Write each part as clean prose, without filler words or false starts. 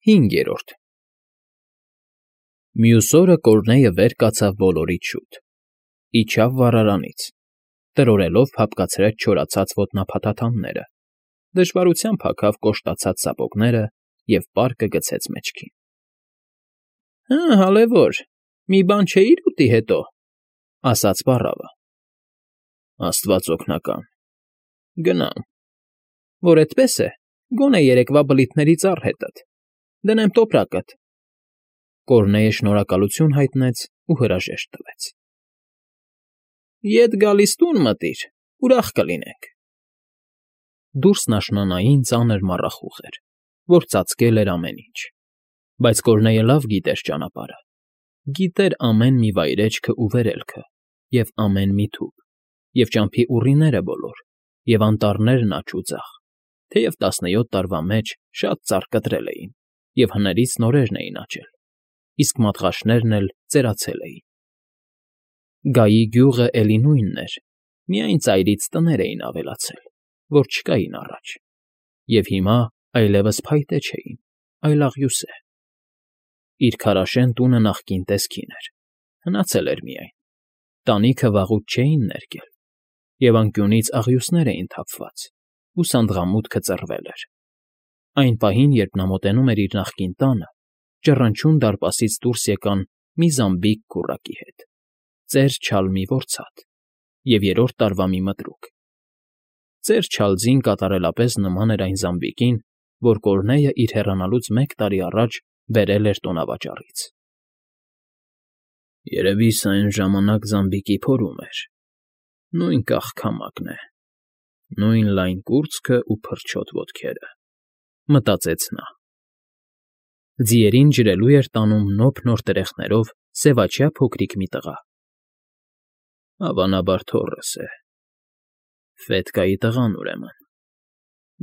5. Մյուս օրը Կորնեյը վեր կացավ բոլորից շուտ, իջավ վառարանից, տրորելով փափկացրեց չորացած ոտնափաթաթանները, դժվարությամբ հագավ կոշտացած սապոգները և պարկը գցեց մեջքին։ ֊ Հալևոր, մի բան չէի՞ր ուտի հետո,֊ ասաց պառավը։ ֊ Աստված օգնական, գնամ։ ֊ Որ էդպես է, գոնե երեկվա բլիթների ծառ հետդ, դնեմ տոպրակդ։ Կորնեյը շնորհակալություն հայտնեց ու հրաժեշտ տվեց։ ֊ Ետ գալիս տուն մտիր, ուրախ կլինենք։ Դուրսն աշնանային ծանր մառախուղ էր, որ ծածկել էր ամեն ինչ, բայց Կորնեյը լավ գիտեր ճանապարհը, գիտեր ամեն մի վայրէջքը ու վերելքը, և ամեն մի թուփ, և ճամփի ուռիները բոլոր, և անտառներն աջ ու ձախ, թեև 17 տարվա մեջ շատ ծառ կտրել էին, և հներից նորերն էին աճել, իսկ մատղաշներն էլ ծերացել էին։ Գայի գյուղը էլի նույնն էր, միայն ծայրից տներ էին ավելացել, որ չկային առաջ, և հիմա այլևս փայտե չէին, այլ աղյուսե։ Իր քարաշեն տունը նախկին տեսքին էր, հնացել էր միայն, տանիքը վաղուց չէին ներկել, և անկյունից աղյուսներ էին թափված, ու սանդղամուտքը ծռվել էր։ Այն պահին, երբ նա մոտենում էր իր նախկին տանը, ճռնչուն դարպասից դուրս եկան մի զամբիկ քուռակի հետ, ծեր չալ մի որցատ և 3-րդ տարվա մի մտրուկ։ Ծեր չալձին կատարելապես նման էր այն զամբիկին, որ Կորնեյը իր հեռանալուց 1 տարի առաջ բերել էր տոնավաճառից։ «Երևի սա այն ժամանակ զամբիկի փորում էր, նույն կաղ֊քամակն է, նույն լայն կուրծքն ու փրչոտ ոտքերը»,֊ մտածեց նա։ Ձիերին ջրելու էր տանում նոփ-նոր տրեխներով սևաչյա փոքրիկ մի տղա։ «Հավանաբար թոռս է, Ֆետկայի տղան, ուրեմն,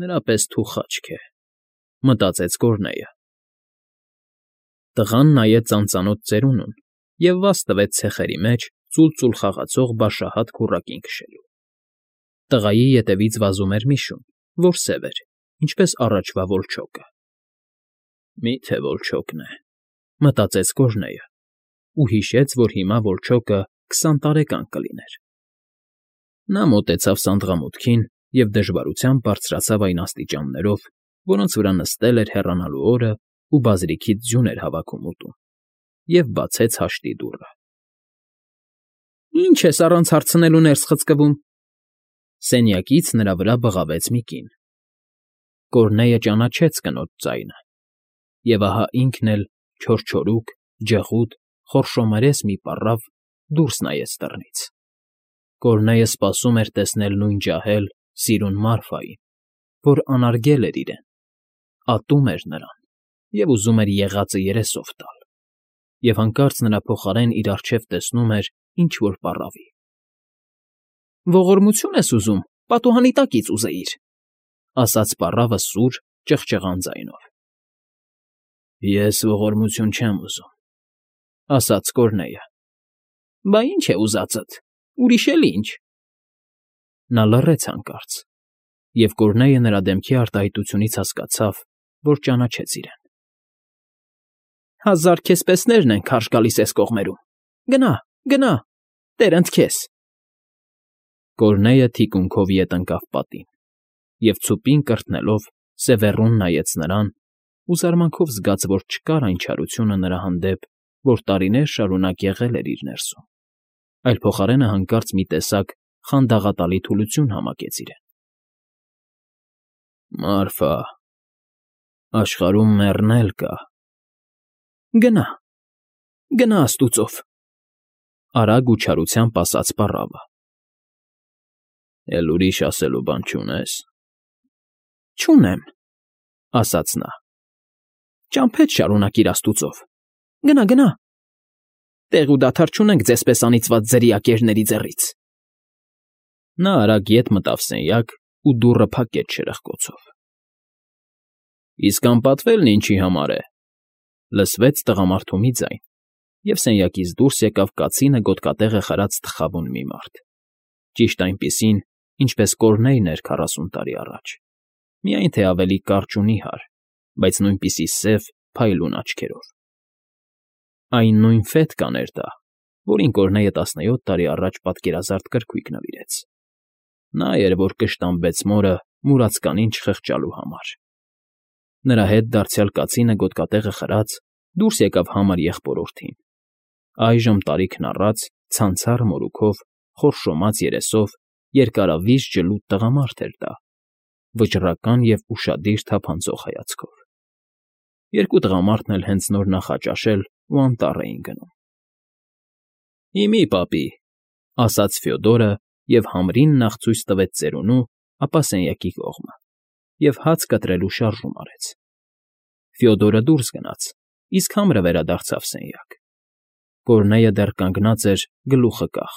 նրա պես թուխաչք է», մտածեց Կորնեյը։ Տղան նայեց ծանծանոթ ծերունուն և վազ տվեց ցեխերի մեջ ծուլծուլ խաղացող բաշահատ քուռակին քշելու։ Տղայի ետևից վազում էր մի շուն, որ սև էր, ինչպես առաջվա վոլչոկը։ «Մի՞թե վոլչոկն է», մտածեց Կորնեյը ու հիշեց, որ հիմա վոլչոկը 20 տարեկան կլիներ։ Նա մոտեցավ սանդղամուտքին և դժվարությամբ բարձրացավ այն աստիճաններով, որոնց վրա նստել էր հեռանալու օրն ու բազրիքից ձյուն էր հավաքում ուտում, և բացեց հաշտի դուռը։ ֊ Ի՞նչ ես առանց հարցնելու ներս խցկվում,֊ սենյակից նրա վրա բղավեց մի կին։ Կորնեյը ճանաչեց կնոջ ձայնը, և ահա ինքն էլ չորչորուկ, ջղուտ, խորշոմերես մի պառավ դուրս նայեց դռնից։ Կորնեյը սպասում էր տեսնել նույն ջահել, սիրուն Մարֆային, որ անարգել էր իրեն, ատում էր նրան և ուզում էր եղածը երեսով տալ, և հանկարծ նրա փոխարեն իր առջև տեսնում էր ինչ֊որ պառավի։ ֊ Ողորմություն ես ուզում, պատուհանի տակից ուզեիր,֊ ասաց պառավը սուր, ճղճղան ձայնով։ ֊ Ես ողորմություն չեմ ուզում,֊ ասաց Կորնեյը։ ֊ Բա ի՞նչ է ուզածդ, ուրիշ էլ ի՞նչ։ Նա լռեց հանկարծ, և Կորնեյը նրա դեմքի արտահայտությունից հասկացավ, որ ճանաչեց իրեն։ ֊ 1000 քեզ պեսներն են քարշ գալիս էս կողմերում, գնա, գնա, տերընդ քեզ։ Կորնեյը թիկունքով ետ ընկավ պատին և ցուպին կրտնելով սևեռուն նայեց նրան ու զարմանքով զգաց, որ չկար այն չարությունը նրա հանդեպ, որ տարիներ շարունակ եղել էր իր ներսում, այլ փոխարենը հանկարծ մի տեսակ խանդաղատալի թուլություն համակեց իրեն։ ֊ Մարֆա, աշխարհում մեռն էլ կա։ ֊ Գնա, գնա աստուծով,֊ արագ ու չարությամբ ասաց պառավը։ ֊ Էլ ուրիշ ասելու բան չունե՞ս։ ֊ Չունեմ,֊ ասաց նա։ ֊ Ճամփեդ շարունակիր աստուծով, գնա, գնա, տեղ ու դադար չունենք ձեզ պես անիծված ձրիակերների ձեռից։ Նա արագ ետ մտավ սենյակ ու դուռը փակեց շրխկոցով։ ֊ Իսկ անպատվելն ինչի համար է,֊ լսվեց տղամարդու մի ձայն, և սենյակից դուրս եկավ կացինը գոտկատեղը խրած թխավուն մի մարդ, ճիշտ այնպիսին, ինչպես Կորնեյն էր 40 տարի առաջ, միայն թե ավելի կարճ ու նիհար, բայց նույնպիսի սև փայլուն աչքերով։ Այն նույն Ֆետկան էր դա, որին Կորնեյը 17 տարի առաջ պատկերազարդ կրքույկ նվիրեց։ Նա էր, որ կշտամբեց մորը մուրացկանին չխղճալու համար։ Նրա հետ դարձյալ կացինը գոտկատեղը խրած դուրս եկավ համար եղբորորդին։ Այժմ տարիքն առած, ցանցառ մորուքով, խորշոմած երեսով, երկարավիժ ջլուդ տղամարդ էր դա, վճռական և ուշադիր թափանցող հայացքով։ Երկու տղամարդն էլ հենց նոր նախաճաշել ու անտառ էին գնում։ ֊ Հիմի, պապի, ֊ ասաց Ֆյոդորը և համրին նախ ցույց տվեց ծերունու, ապա սենյակի կողմը, և հաց կտրելու շարժում արեց։ Ֆյոդորը դուրս գնաց, իսկ համրը վերադարձավ սենյակ։ Կորնեյը դեռ կանգնած էր գլուխը կախ,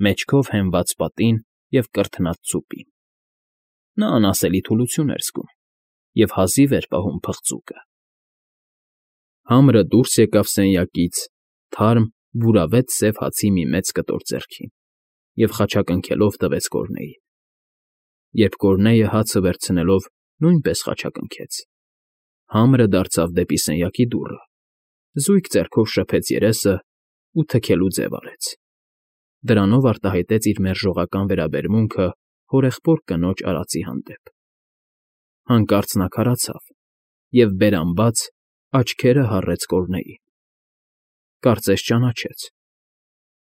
մեջքով հենված պատին և կրթնած ծուպին։ Նա անասելի թուլություն էր զգում և հազիվ էր պահում փղծուկը։ Համրը դուրս եկավ սենյակից, թարմ, բուրավետ սև հացի մի մեծ կտոր ձեռքին և խաչակնքելով տվեց Կորնեյին։ Երբ Կորնեյը հացը վերցնելով նույնպես խաչակնքեց, համրը դարձավ դեպի սենյակի դուռը, զույգ ձեռքով շփեց երեսը ու թքելու ձև արեց։ Դրանով արտահայտեց իր մերժողական վերաբերմունքը հորեղբոր կնոջ արածի հանդեպ։ Հանկարծ նա քարացավ և, բերան բաց, աչքերը հառեց Կորնեյին։ Կարծես ճանաչեց։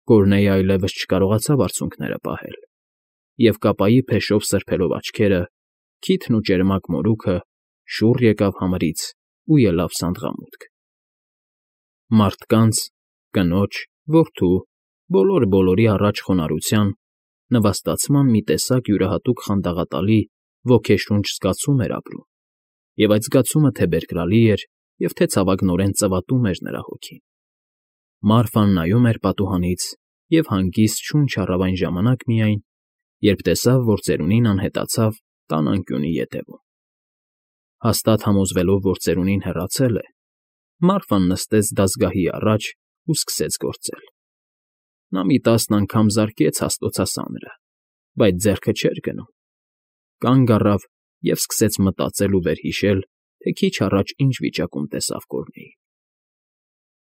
Կորնեյը այլևս չկարողացավ արցունքները պահել և, կապայի փեշով սրբելով աչքերը, քիթն ու ճերմակ մորուքը, շուռ եկավ համրից ու ելավ սանդղամուտք։ Մարդկանց, կնոջ, որդու, բոլորի առաջ խոնարհության, նվաստացման մի տեսակ յուրահատուկ խանդաղատալի, ոգեշունչ զգացում էր ապրում, և այդ զգացումը թե՛ բերկրալի էր և թե՛ ցավագնորեն ծվատում էր նրա հոգին։ Մարֆան նայում էր պատուհանից և հանգիստ շունչ առավ այն ժամանակ միայն, երբ տեսավ, որ ծերունին անհետացավ տան անկյունի ետևում։ Հաստատ համոզվելով, որ ծերունին հեռացել է, Մարֆան նստեց դասգահի առաջ ու սկսեց գործել։ Նա մի 10 անգամ զարկեց հաստոցասանրը, բայց ձեռքը չէր գնում։ Կանգ առավ և սկսեց մտածել ու վերհիշել, թե քիչ առաջ ինչ վիճակում տեսավ Կորնեյին։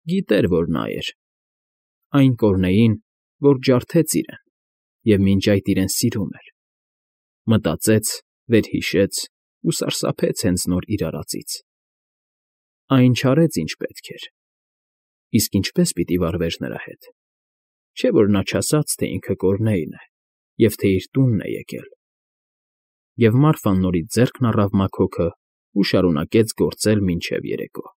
Գիտեր, որ նա էր, այն Կորնեյին, որ ջարդեց իրեն և մինչ այդ իրեն սիրում էր։ Մտածեց, վերհիշեց ու սարսափեց հենց նոր իր արածից։ Այն չարեց, ինչ պետք էր։ Իսկ ինչպե՞ս պիտի վարվեր նրա հետ։ Չէ՞ որ նա չասաց, թե ինքը Կորնեյն է և թե իր տունն է եկել։ Եվ Մարֆան նորից ձեռքն առավ մաքոքը ու շարունակեց գործել մինչև երեկո։